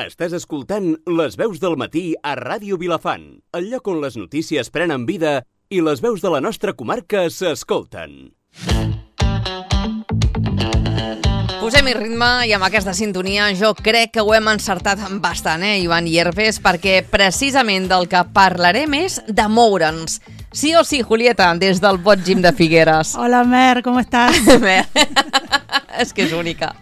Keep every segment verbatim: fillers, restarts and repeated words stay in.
Estàs escoltant Les veus del matí a Ràdio Vilafant, el lloc on les notícies prenen vida i les veus de la nostra comarca s'escolten. Posem-hi ritme i amb aquesta sintonia jo crec que ho hem encertat bastant, eh, Ivan Hierves, perquè precisament del que parlarem és de moure'ns. Sí o sí, Julieta, des del Bot Gym de Figueres. Hola, Mer, com estàs? Mer, és que és única.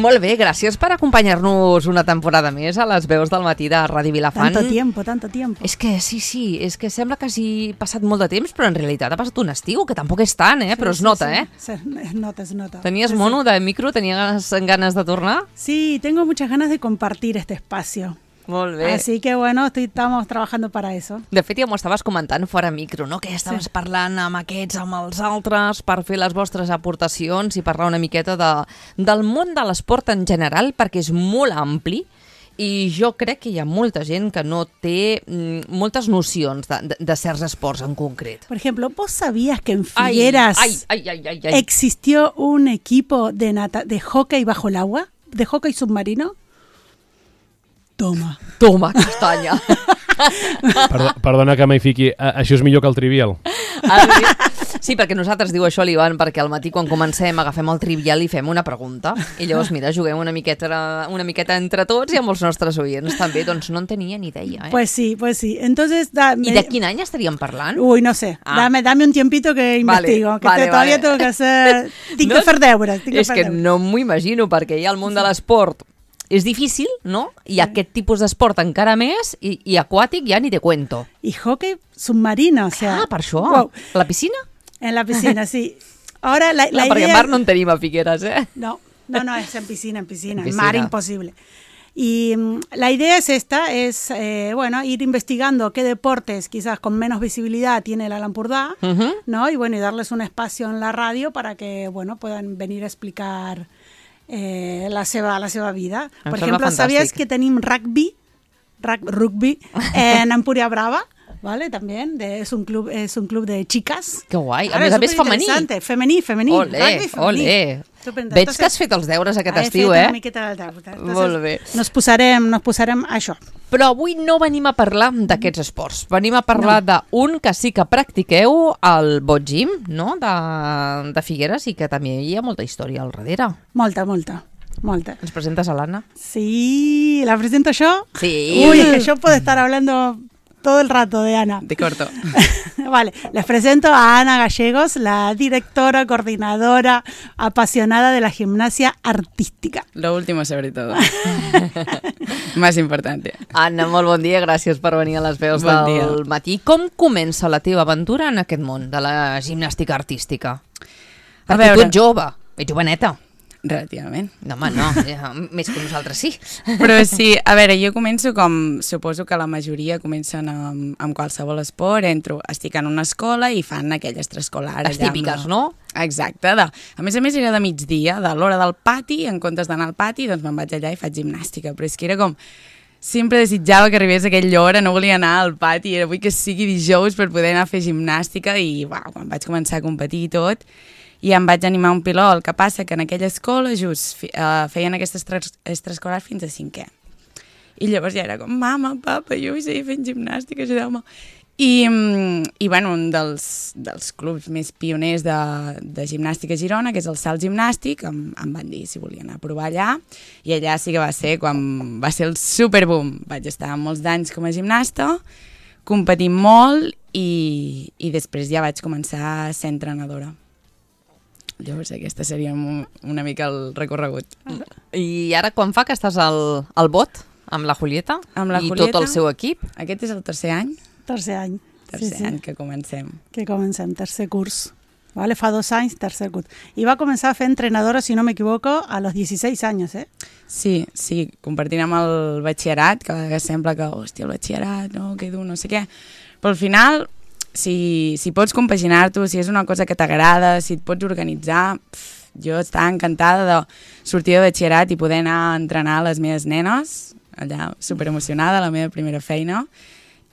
Molt bé, gràcies per acompanyar-nos una temporada més a les veus del matí de Ràdio Vilafant. Tanto tiempo, tanto tiempo. És que sí, sí, és que sembla que hagi passat molt de temps, però en realitat ha passat un estiu, que tampoc és tant, eh? Sí, però es sí, nota, sí. eh? Sí, es nota, es nota. Tenies sí, mono sí. de micro? Tenies ganes de tornar? Sí, tengo muchas ganas de compartir este espacio. Molt bé. Así que bueno, estoy, estamos trabajando para eso. De fet, ja m'ho estaves comentant fora micro, no? Que estaves sí. parlant amb aquests, amb els altres, per fer les vostres aportacions i parlar una miqueta de, del món de l'esport en general, perquè és molt ampli i jo crec que hi ha molta gent que no té mm, moltes nocions de, de, de certs esports en concret. Por ejemplo, ¿vos sabías que en Figueras ay, ay, ay, ay, ay. existió un equipo de, nata de hockey bajo el agua? ¿De hockey submarino? Toma. Toma, castanya. Perdona, perdona que m'hi fiqui. Això és millor que el Trivial. Sí, perquè nosaltres, diu això l'Ivan, perquè al matí quan comencem agafem el Trivial i fem una pregunta. I llavors, mira, juguem una miqueta, una miqueta entre tots i amb els nostres oients també. Doncs no en tenia ni idea, eh? Pues sí, pues sí. Entonces, da, ¿Y de quin any estaríem parlant? Uy, no sé. Ah. Dame, dame un tiempito que investigo. Vale, que vale, te, todavía vale. tengo que hacer... Tinc no, que fer deures. Tinc és que, que fer no m'ho imagino, perquè ja el món de l'esport és difícil, no? I sí. aquest tipus d'esport encara més, i, i aquàtic ja ni te cuento. Y hockey submarino, o sea... Ah, per això. Wow. La piscina? En la piscina, sí. Ahora la, la no, perquè idea... mar no en tenim a Figueres, eh? No, no, no, es en piscina, en piscina. En En piscina. mar imposible. Y um, la idea es esta, es, eh, bueno, ir investigando qué deportes quizás con menos visibilidad tiene el Alampurdá, Uh-huh. ¿no? Y bueno, y darles un espacio en la radio para que, bueno, puedan venir a explicar... Eh, la, seva, la seva vida. Em Per sembla exemple, fantàstic. ¿sabías que tenim rugby, rug, rugby en Empúria Brava? ¿Vale? También de, es, un club, es un club de chicas. Que guai. A Claro, més a més femení. superinteresante. Femení, femení. Ole, Rugby femení. ole. Superinteressant. Veig que has Entonces, fet els deures aquest he estiu, fet eh? una miqueta del deure. Entonces, Molt bé. Nos posarem, nos posarem a això. Però avui no venim a parlar d'aquests esports. Venim a parlar no. d'un que sí que practiqueu al Bot Gym, no? De, de Figueres, i que també hi ha molta història al darrere. Molta, molta. Molta. Ens presentes a l'Anna? Sí, ¿la presento yo? Sí. Uy, es que yo puedo estar hablando todo el rato de Ana. De corto. Vale, les presento a Ana Gallegos, la directora, coordinadora, apasionada de la gimnasia artística. Lo último sobre todo. Más importante. Anna, molt bon dia, gràcies per venir a les veus Bon del dia. matí. Com comença la teva aventura en aquest món de la gimnàstica artística? A Perquè tu veure. ets jove, ets joveneta. Relativament. No, home, no, ja, més que nosaltres sí. Però sí, a veure, jo començo com suposo que la majoria comencen amb, amb qualsevol esport, entro, estic en una escola i fan aquell extraescolar. Les allà amb típiques, la- no? Exacte. De, a més a més era de migdia, de l'hora del pati, en comptes d'anar al pati, doncs me'n vaig allà i faig gimnàstica. Però és que era com... Sempre desitjava que arribés aquella hora, no volia anar al pati, era vull que sigui dijous per poder anar a fer gimnàstica i uau, quan vaig començar a competir i tot, i em vaig animar un piló. El que passa que en aquella escola just uh, feien aquestes extraescolars fins a cinquè. I llavors ja era com, mama, papa, jo vull seguir fent gimnàstica, ajudeu-me. I, i bueno, un dels, dels clubs més pioners de, de gimnàstica a Girona, que és el Salt Gimnàstic, em, em van dir si volien anar a provar allà, i allà sí que va ser quan va ser el superboom. Vaig estar molts d'anys com a gimnasta, competint molt, i, i després ja vaig començar a ser entrenadora. Llavors aquesta seria una mica el recorregut. I ara quan fa que estàs al, al bot amb la Julieta Amb la i Julieta. tot el seu equip? Aquest és el tercer any, Tercer any. tercer sí, sí. any que comencem. Que comencem, tercer curs. Vale, fa dos anys, tercer curs. I va començar a fer entrenadora, si no me equivoco, a los dieciséis años, eh? Sí, sí, compartint amb el batxillerat, que a vegades sembla que, hòstia, el batxillerat, no, que dur, no sé què. Però al final, si, si pots compaginar-t'ho, si és una cosa que t'agrada, si et pots organitzar, pf, jo estava encantada de sortir de batxillerat i poder anar a entrenar les meves nenes, allà superemocionada, la meva primera feina,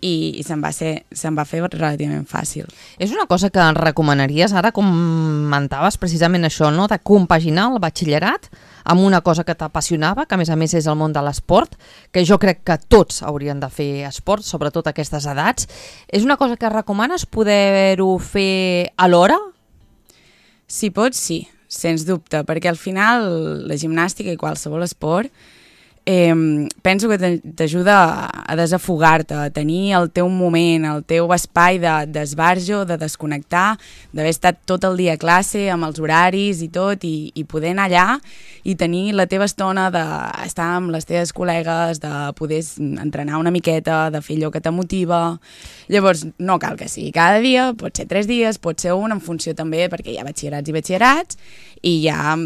i, i se'm, va ser, se'm va fer relativament fàcil. És una cosa que recomanaries, ara comentaves precisament això, no? De compaginar el batxillerat amb una cosa que t'apassionava, que a més a més és el món de l'esport, que jo crec que tots haurien de fer esport, sobretot a aquestes edats. És una cosa que recomanes poder-ho fer alhora? Si pots, sí, sens dubte, perquè al final la gimnàstica i qualsevol esport eh, penso que t'ajuda a desafogar-te, a tenir el teu moment, el teu espai d'esbarjo, de, de desconnectar, d'haver estat tot el dia a classe, amb els horaris i tot, i, i poder anar allà i tenir la teva estona d'estar amb les teves col·legues, de poder entrenar una miqueta, de fer allò que t'emotiva. Llavors, no cal que sigui cada dia, pot ser tres dies, pot ser un, en funció també, perquè hi ha batxillerats i batxillerats, i ja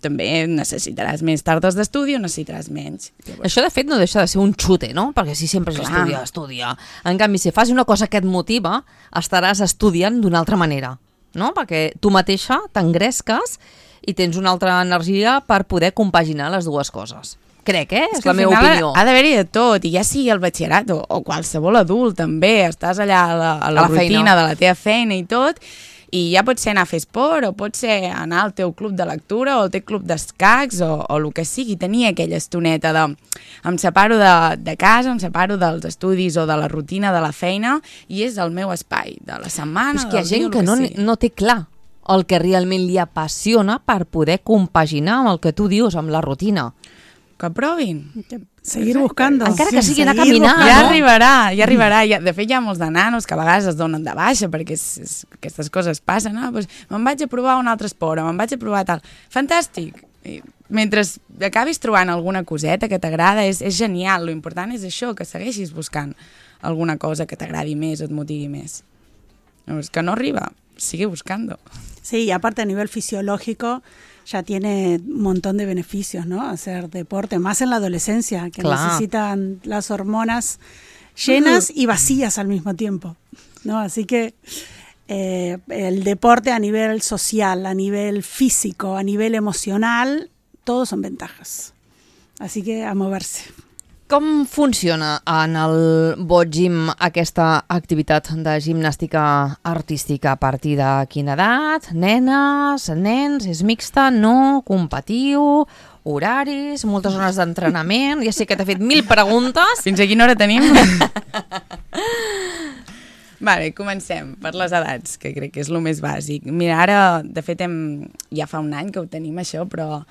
també necessitaràs més tardes d'estudi o necessitaràs menys. Llavors... Això, de fet, no deixa de ser un xute, no? Perquè si sempre és estudiar, estudiar. En canvi, si fas una cosa que et motiva, estaràs estudiant d'una altra manera, no? Perquè tu mateixa t'engresques i tens una altra energia per poder compaginar les dues coses. Crec, eh? És, és la meva opinió. Ha d'haver-hi de tot, i ja sigui el batxillerat o, o qualsevol adult també, estàs allà a la, a la, a la rutina feina. De la teva feina i tot, i ja pot ser anar a fer esport, o pot ser anar al teu club de lectura, o al teu club d'escacs, o, o el que sigui, tenir aquella estoneta de... Em separo de, de casa, em separo dels estudis o de la rutina de la feina, i és el meu espai, de la setmana, és que hi ha gent dia, que, que no, sigui. no té clar el que realment li apassiona per poder compaginar amb el que tu dius, amb la rutina. Que provin. Seguir buscando. Encara que sí, sigui anar a caminar. Ja no? arribarà, ja arribarà. Ja, de fet, hi ha molts de nanos que a vegades es donen de baixa perquè és, és, aquestes coses passen. No? Pues, me'n vaig a provar un altre esport, me'n vaig a provar tal. Fantàstic. I mentre acabis trobant alguna coseta que t'agrada, és, és genial. Lo important és això, que segueixis buscant alguna cosa que t'agradi més o et motivi més. Llavors, que no arriba, sigue buscando. Sí, y aparte a nivel fisiológico ya tiene un montón de beneficios, ¿no? Hacer deporte, más en la adolescencia, que claro. necesitan las hormonas llenas uh-huh. y vacías al mismo tiempo, ¿no? Así que eh, el deporte a nivel social, a nivel físico, a nivel emocional, todos son ventajas. Así que a moverse. Com funciona en el Bot Gym aquesta activitat de gimnàstica artística? A partir de quina edat? Nenes, nens, és mixta, no, competiu, horaris, moltes zones d'entrenament... Ja sé que t'he fet mil preguntes. Fins a quina hora tenim? Vale, comencem per les edats, que crec que és el més bàsic. Mira, ara, de fet, hem, ja fa un any que ho tenim, això, però...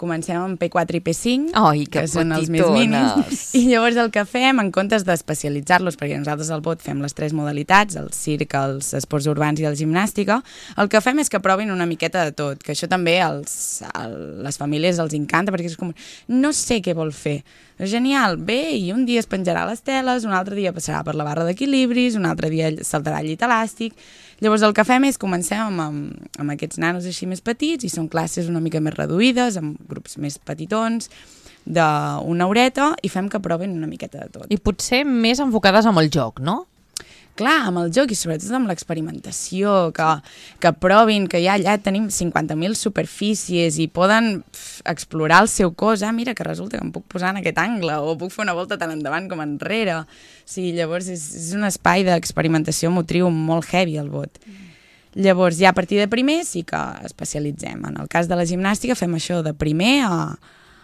Comencem amb P quatre i P cinc, Ai, que, que són els més mínims. I llavors el que fem, en comptes d'especialitzar-los, perquè nosaltres al Bot fem les tres modalitats, el circ, els esports urbans i la gimnàstica, el que fem és que provin una miqueta de tot, que això també als, a les famílies els encanta, perquè és com, no sé què vol fer. Genial, bé, i un dia es penjarà les teles, un altre dia passarà per la barra d'equilibris, un altre dia saltarà el llit elàstic. Llavors el que fem és comencem amb, amb, amb aquests nanos així més petits, i són classes una mica més reduïdes, amb grups més petitons, d'una horeta, i fem que provin una miqueta de tot. I potser més enfocades amb el joc, no? Clar, amb el joc i sobretot amb l'experimentació, que, que provin, que ja allà tenim cinquanta mil superfícies i poden pf, explorar el seu cos. Ah, mira, que resulta que em puc posar en aquest angle o puc fer una volta tant endavant com enrere. Sí, llavors és, és un espai d'experimentació motriu molt heavy, el Bot. Mm. Llavors, ja a partir de primer sí que especialitzem. En el cas de la gimnàstica fem això de primer a,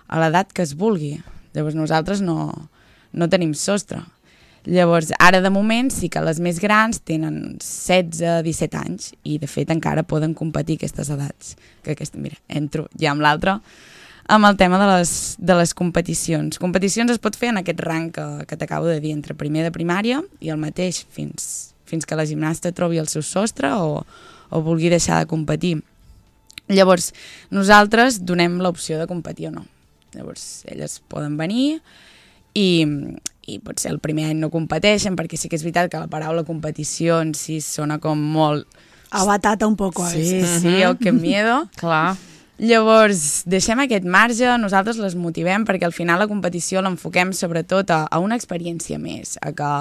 a l'edat que es vulgui. Llavors nosaltres no, no tenim sostre. Llavors, ara de moment sí que les més grans tenen setze a disset anys i de fet encara poden competir aquestes edats. Que aquesta, mira, entro ja amb l'altra, amb el tema de les, de les competicions. Competicions es pot fer en aquest rang que, que t'acabo de dir, entre primer de primària i el mateix fins, fins que la gimnasta trobi el seu sostre o, o vulgui deixar de competir. Llavors, nosaltres donem l'opció de competir o no. Llavors, elles poden venir i... i potser el primer any no competeixen, perquè sí que és veritat que la paraula competició en si sona com molt... Abatata un poco a sí, veces. Sí, oh, que miedo. Clar. Llavors, deixem aquest marge, nosaltres les motivem perquè al final la competició l'enfoquem sobretot a, a una experiència més, a que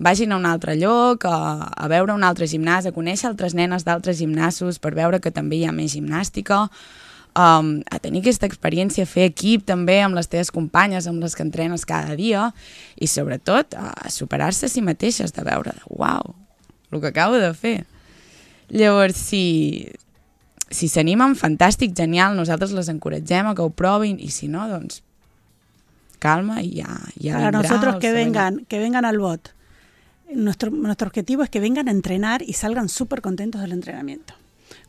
vagin a un altre lloc, a, a veure un altre gimnàs, a conèixer altres nenes d'altres gimnasos per veure que també hi ha més gimnàstica, um, a tenir aquesta experiència, a fer equip també amb les teves companyes, amb les que entrenes cada dia, i sobretot a superar-se a si mateixes, de veure, uau, el que acabo de fer. Llavors, si si s'animen, fantàstic, genial, nosaltres les encoratgem a que ho provin, i si no, doncs, calma y ya, ya Para vendrá, nosotros que se vengan, que vengan al B O T. Nuestro, nuestro objetivo es que vengan a entrenar y salgan súper contentos del entrenamiento.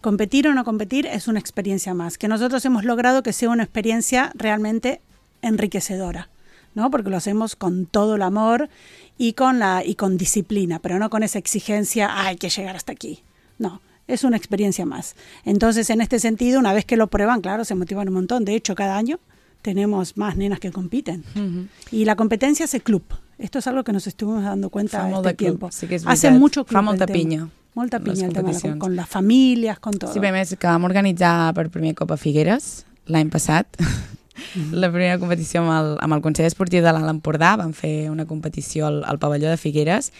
Competir o no competir es una experiencia más, que nosotros hemos logrado que sea una experiencia realmente enriquecedora, ¿no? Porque lo hacemos con todo el amor y con, la, y con disciplina, pero no con esa exigencia, ah, hay que llegar hasta aquí. No, es una experiencia más. Entonces, en este sentido, una vez que lo prueban, claro, se motivan un montón. De hecho, cada año tenemos más nenas que compiten. Uh-huh. Y la competencia hace club. Esto es algo que nos estuvimos dando cuenta fa este tiempo. Sí que hace mucho club. Fa molta pinya. Molta pinya el tema, con, con les famílies, con tot. Sí, a més que vam organitzar per primer cop a Figueres l'any passat. Mm-hmm. La primera competició amb el, amb el Consell Esportiu de l'Alt Empordà. Vam fer una competició al, al pavelló de Figueres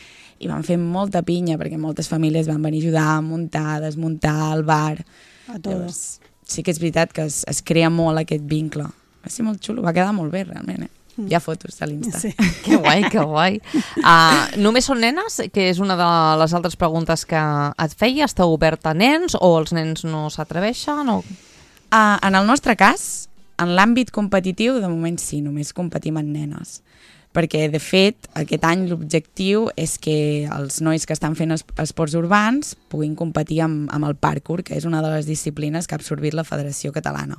i vam fer molta pinya perquè moltes famílies van venir a ajudar a muntar, a desmuntar el bar. A tots. Sí que és veritat que es, es crea molt aquest vincle. Va ser molt xulo, va quedar molt bé realment, eh? Hi ha fotos a l'Insta. Sí. Que guai, que guai. Uh, només són nenes? Que és una de les altres preguntes que et feia. Està obert a nens o els nens no s'atreveixen? O... Uh, en el nostre cas, en l'àmbit competitiu, de moment sí, només competim en nenes. Perquè, de fet, aquest any l'objectiu és que els nois que estan fent es esports urbans puguin competir amb, amb el parkour, que és una de les disciplines que ha absorbit la Federació Catalana.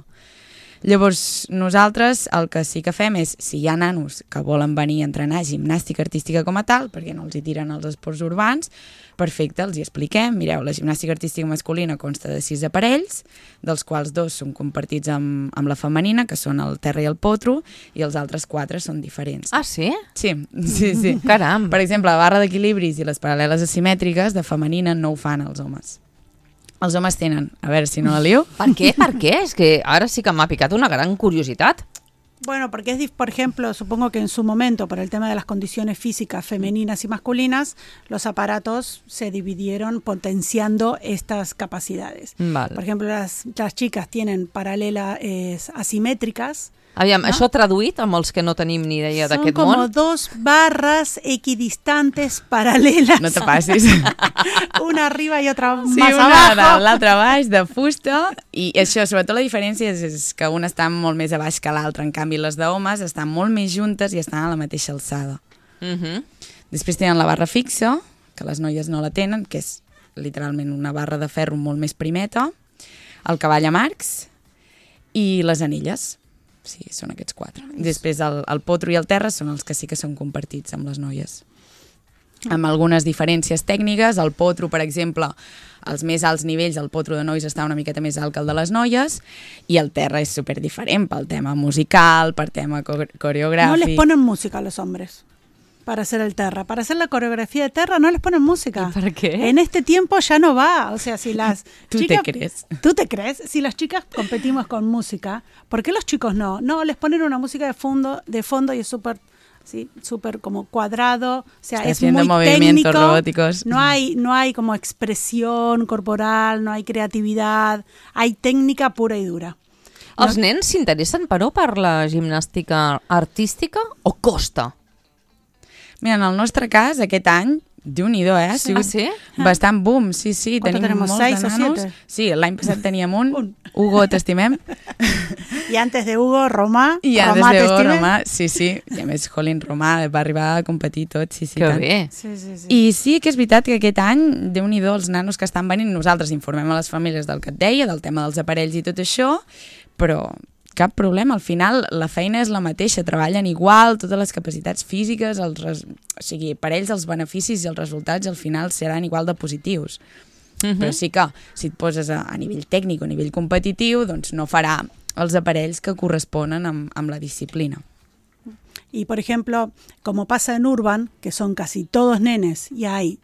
Llavors, nosaltres el que sí que fem és, si hi ha nanos que volen venir a entrenar gimnàstica artística com a tal, perquè no els hi tiren els esports urbans, perfecte, els hi expliquem. Mireu, la gimnàstica artística masculina consta de sis aparells, dels quals dos són compartits amb, amb la femenina, que són el terra i el potro, i els altres quatre són diferents. Ah, sí? Sí, sí, sí. Caram. Per exemple, la barra d'equilibris i les paral·leles asimètriques de femenina no ho fan els homes. Els homes tenen, a ver si no la lío. ¿Por qué? ¿Por qué? Es que ahora sí que me ha picado una gran curiosidad. Bueno, porque es, por ejemplo, supongo que en su momento, por el tema de las condiciones físicas femeninas y masculinas, los aparatos se dividieron potenciando estas capacidades. Vale. Por ejemplo, las, las chicas tienen paralelas eh, asimétricas. Aviam, ¿no? Això traduït amb els que no tenim ni idea d'aquest món. Son como dos barras equidistantes paralelas. No te passis. Una arriba i otra sí, más una abajo. L'altra baix, de fusta. I això, sobretot la diferència és, és que una està molt més a baix que l'altra. En canvi, les d'homes estan molt més juntes i estan a la mateixa alçada. Uh-huh. Després tenen la barra fixa, que les noies no la tenen, que és literalment una barra de ferro molt més primeta, el cavall a marcs i les anelles. Sí, són aquests quatre. Després el, el potro i el terra són els que sí que són compartits amb les noies. Amb algunes diferències tècniques, el potro, per exemple, als més alts nivells, el potro de nois està una miqueta més alt que el de les noies, i el terra és super diferent pel tema musical, per tema coreogràfic. No les ponen música a los hombres para hacer el terra. Para hacer la coreografía de terra no les ponen música. ¿Y por qué? En este tiempo ya no va. O sea, si las ¿Tú chicas... te crees? ¿Tú te crees? Si las chicas competimos con música, ¿por qué los chicos no? No, les ponen una música de fondo, de fondo y es súper... Sí, súper como cuadrado, o sea, Está es haciendo muy movimientos técnico, robóticos. no hay, no hay como expresión corporal, no hay creatividad, hay técnica pura y dura. Els nens s'interessen, però, per la gimnàstica artística o costa? Mira, en el nostre cas, aquest any, Déu-n'hi-do, eh? Ha sigut Ah, sí? bastant boom, sí, sí. ¿Cuánto Tenim tenemos? molts ¿Seis de o nanos. siete? Sí, l'any passat teníem un. Un. Hugo, t'estimem. Y antes de Hugo, Romà, I ja, Romà des de Hugo, t'estimen? Romà, sí, sí. I a més, Jolín Romà va arribar a competir tot, sí, sí. Que tant. bé. Sí, sí, sí. I sí que és veritat que aquest any, Déu-n'hi-do, els nanos que estan venint, nosaltres informem a les famílies del que et deia, del tema dels aparells i tot això, però cap problema, al final la feina és la mateixa, treballen igual, totes les capacitats físiques, els res... o sigui, per ells els beneficis i els resultats al final seran igual de positius. Uh-huh. Però sí que si et poses a, a nivell tècnic o a nivell competitiu, doncs no farà els aparells que corresponen amb, amb la disciplina. Y por ejemplo, como pasa en Urban, que son casi todos nenes, y hay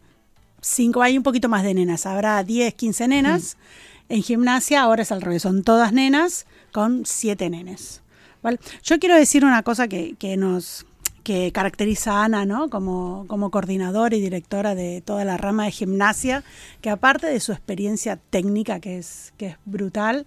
cinco, hay un poquito más de nenas, habrá diez, quince nenas. Mm. En gimnasia ahora es al revés, son todas nenas con siete nenes. ¿Vale? Yo quiero decir una cosa que, que nos que caracteriza a Ana, ¿no? Como, como coordinadora y directora de toda la rama de gimnasia, que aparte de su experiencia técnica, que es, que es brutal,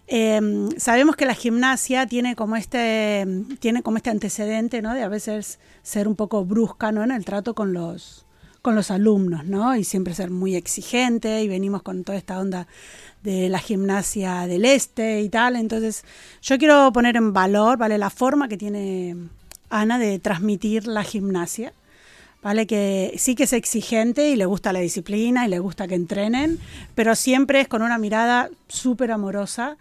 Eh, sabemos que la gimnasia tiene como este, tiene como este antecedente, ¿no? De a veces ser un poco brusca, ¿no? En el trato con los, con los alumnos, ¿no? Y siempre ser muy exigente, y venimos con toda esta onda de la gimnasia del este y tal. Entonces yo quiero poner en valor, ¿vale? La forma que tiene Ana de transmitir la gimnasia, ¿vale? Que sí que es exigente y le gusta la disciplina y le gusta que entrenen, pero siempre es con una mirada súper amorosa,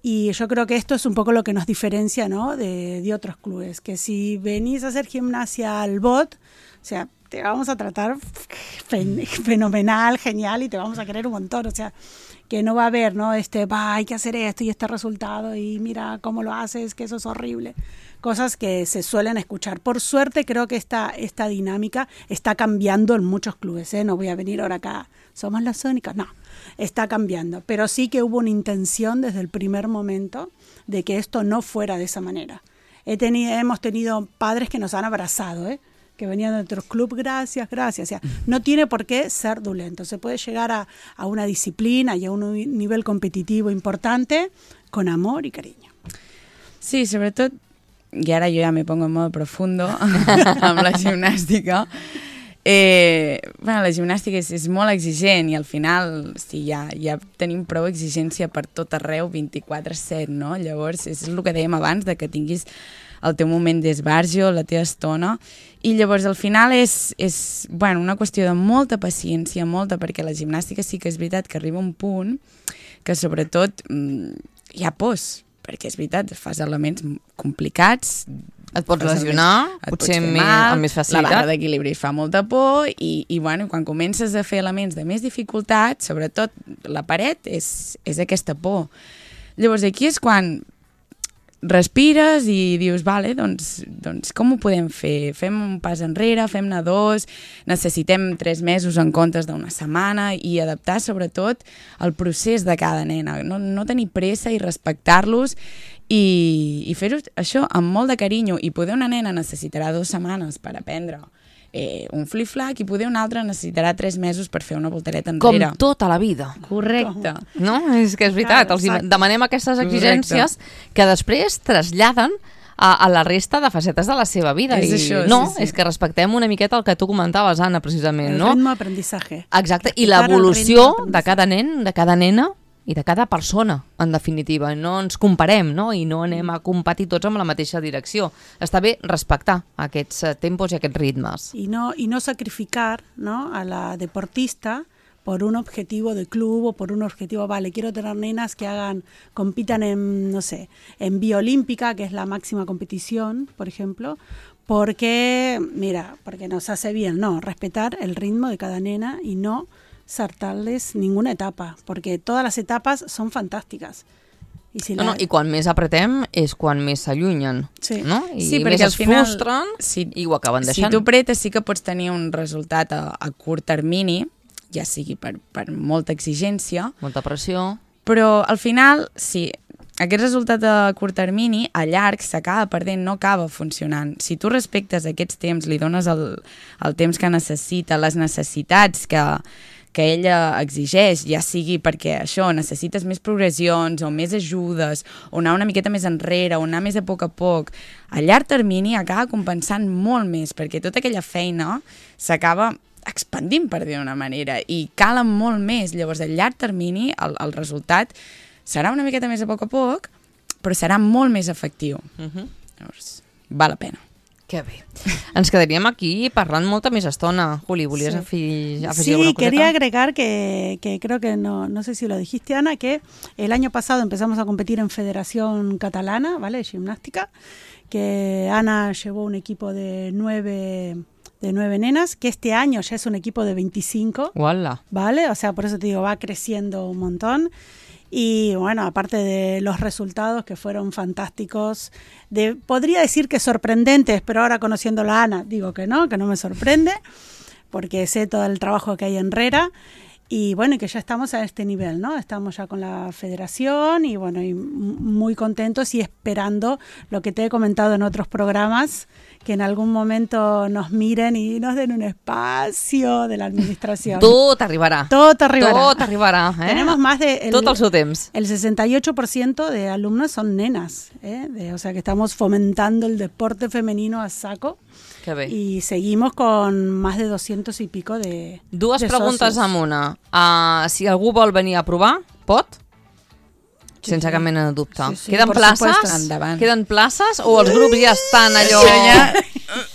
y yo creo que esto es un poco lo que nos diferencia, ¿no? de, de otros clubes, que si venís a hacer gimnasia al B O T, o sea, te vamos a tratar fen- fenomenal, genial, y te vamos a querer un montón, o sea, que no va a haber, ¿no? Este, va, hay que hacer esto y este resultado, y mira cómo lo haces, que eso es horrible. Cosas que se suelen escuchar. Por suerte, creo que esta, esta dinámica está cambiando en muchos clubes, ¿eh? No voy a venir ahora acá, somos las únicas, no, está cambiando. Pero sí que hubo una intención desde el primer momento de que esto no fuera de esa manera. He tenido, hemos tenido padres que nos han abrazado, ¿eh? Que venían de otros clubes, gracias, gracias. O sea, no tiene por qué ser dulento. Se puede llegar a, a una disciplina y a un nivel competitivo importante con amor y cariño. Sí, sobretot, i ara jo ja me pongo en modo profundo amb la gimnàstica. Eh, bueno, la gimnàstica és, és molt exigent, i al final sí, ja, ja tenim prou exigència per tot arreu, vint-i-quatre set, no? Llavors, és el que dèiem abans, de que tinguis el teu moment d'esbarjo, la teva estona, i llavors al final és, és bueno, una qüestió de molta paciència, molta, perquè la gimnàstica sí que és veritat que arriba un punt que sobretot mmm, hi ha pors, perquè és veritat, fas elements complicats, et pots lesionar, et potser pots fer més, mal, amb més facilitat. La barra d'equilibri fa molta por, i, i bueno, quan comences a fer elements de més dificultat, sobretot la paret és, és aquesta por. Llavors aquí és quan respires i dius, vale, doncs, doncs com ho podem fer? Fem un pas enrere, fem-ne dos, necessitem tres mesos en comptes d'una setmana, i adaptar sobretot el procés de cada nena, no, no tenir pressa i respectar-los, i, i fer-ho això amb molt de carinyo. I poder una nena necessitarà dues setmanes per aprendre eh, un flip-flac, i poder una altra necessitarà tres mesos per fer una voltereta enrere. Com tota la vida. Correcte. No? És que és veritat, els demanem aquestes exigències que després traslladen a, a la resta de facetes de la seva vida. És I això, no, sí, sí. és que respectem una miqueta el que tu comentaves, Anna, precisament. El no? ritmo d'aprendizaje. Exacte, i Practicar el l'evolució ritmo de d'aprendizaje. cada nen, de cada nena, i de cada persona, en definitiva. No ens comparem, no? I no anem a competir tots amb la mateixa direcció. Està bé respectar aquests tempos i aquests ritmes. Y no, y no sacrificar, ¿no? A la deportista por un objetivo de club o por un objetivo, vale, quiero tener nenas que hagan, compitan en, no sé, en vía olímpica, que es la máxima competición, por ejemplo, porque, mira, porque nos hace bien, no, respetar el ritmo de cada nena y no saltarles ninguna etapa, porque todas las etapas son fantàstiques. I, si No, la... no, i quan més apretem és quan més s'allunyen. Sí. No? I Sí, més perquè es al final, frustren si, i ho acaben deixant. Si tu apretes sí que pots tenir un resultat a, a curt termini, ja sigui per, per molta exigència, Molta pressió. però al final, si aquest resultat a curt termini, a llarg, s'acaba perdent, no acaba funcionant. Si tu respectes aquests temps, li dones el, el temps que necessita, les necessitats que, que ella exigeix, ja sigui perquè això, necessites més progressions o més ajudes, o anar una miqueta més enrere, o anar més a poc a poc, a llarg termini acaba compensant molt més, perquè tota aquella feina s'acaba expandint, per dir d'una manera, i calen molt més. Llavors, a llarg termini, el, el resultat serà una miqueta més a poc a poc, però serà molt més efectiu. Uh-huh. Llavors, val la pena. Que bé. Ens quedaríem aquí parlant molta més estona. Juli, ¿volías Sí. afegir, afegir Sí, alguna coseta? quería agregar que, que creo que no, no sé si lo dijiste, Ana, que el año pasado empezamos a competir en Federación Catalana, ¿vale? De gimnástica, que Ana llevó un equipo de nueve, de nueve nenas, que este año ya es un equipo de veinticinco, Uala. ¿vale? O sea, por eso te digo, va creciendo un montón. Y bueno, aparte de los resultados que fueron fantásticos, de, podría decir que sorprendentes, pero ahora conociéndola a Ana, digo que no, que no me sorprende, porque sé todo el trabajo que hay en Rera. Y bueno, y que ya estamos a este nivel, ¿no? Estamos ya con la federación y bueno, y muy contentos y esperando lo que te he comentado en otros programas, que en algún momento nos miren y nos den un espacio de la administración. Tot arribarà. Tot arribarà. Tot arribarà. Eh? Tenemos más de... El, Tot el seu temps. El sesenta y ocho por ciento de alumnos son nenas, ¿eh? De, o sea que estamos fomentando el deporte femenino a saco. Que bé. Y seguimos con más de doscientos y pico de Dues de preguntes socios. amb una. Uh, si algú vol venir a provar, pot? Sí, Sense sí. cap mena de dubte. Sí, sí, Queden por places? supuesto. Endavant. Queden places o els grups ja estan allò...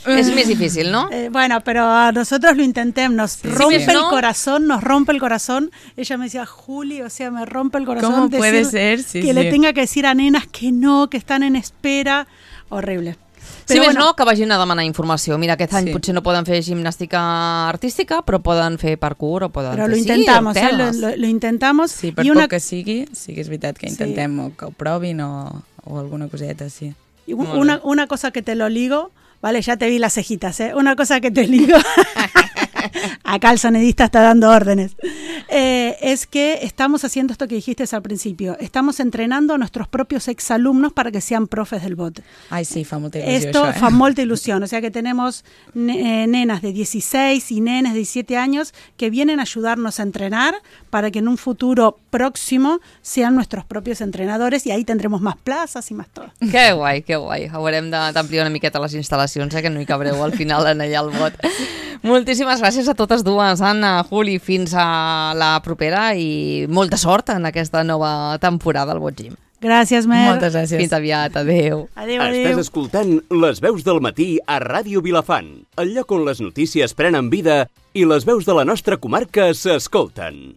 És més difícil, no? Eh, bueno, pero a nosotros lo intentemos, nos Sí, rompe sí. el ¿No? corazón, nos rompe el corazón. Ella me decía, Juli, o sea, me rompe el corazón. ¿Cómo puede decir ser? Sí, que sí. le tenga que decir a nenas que no, que están en espera. Horrible. Si més no, que vagin a demanar informació. Mira, aquest any Sí. potser no poden fer gimnàstica artística, però poden fer parkour o poden Pero fer... lo sí, intentamos, ¿eh? lo, teles. lo- lo intentamos. Sí, per y poc una, que sigui, sí que és veritat que Sí. intentem o que ho provin o, o alguna coseta, sí. y un- una, una cosa que te lo ligo, vale, ya te vi las cejitas, ¿eh? Una cosa que te ligo, acá el sonidista está dando órdenes, eh, es que estamos haciendo esto que dijiste al principio, estamos entrenando a nuestros propios exalumnos para que sean profes del B O T. Ai, sí, fa molta il·lusió Esto això, eh? fa molta ilusión, o sea que tenemos ne- eh, nenas de dieciséis y nenes de diecisiete años que vienen a ayudarnos a entrenar para que en un futuro próximo sean nuestros propios entrenadores y ahí tendremos más plazas y más todo. Que guai, que guai. Haurem de- d'ampliar una miqueta les instal·lacions, eh, que no hi cabreu al final en allà al bot. Moltíssimes gràcies a totes dues, Anna, Juli, fins a la propera i molta sort en aquesta nova temporada al Bot Gym. Gràcies, Mer. Moltes gràcies. Fins aviat, adeu. Adéu, Estàs adéu. escoltant Les veus del matí a Ràdio Vilafant, el lloc on les notícies prenen vida i les veus de la nostra comarca s'escolten.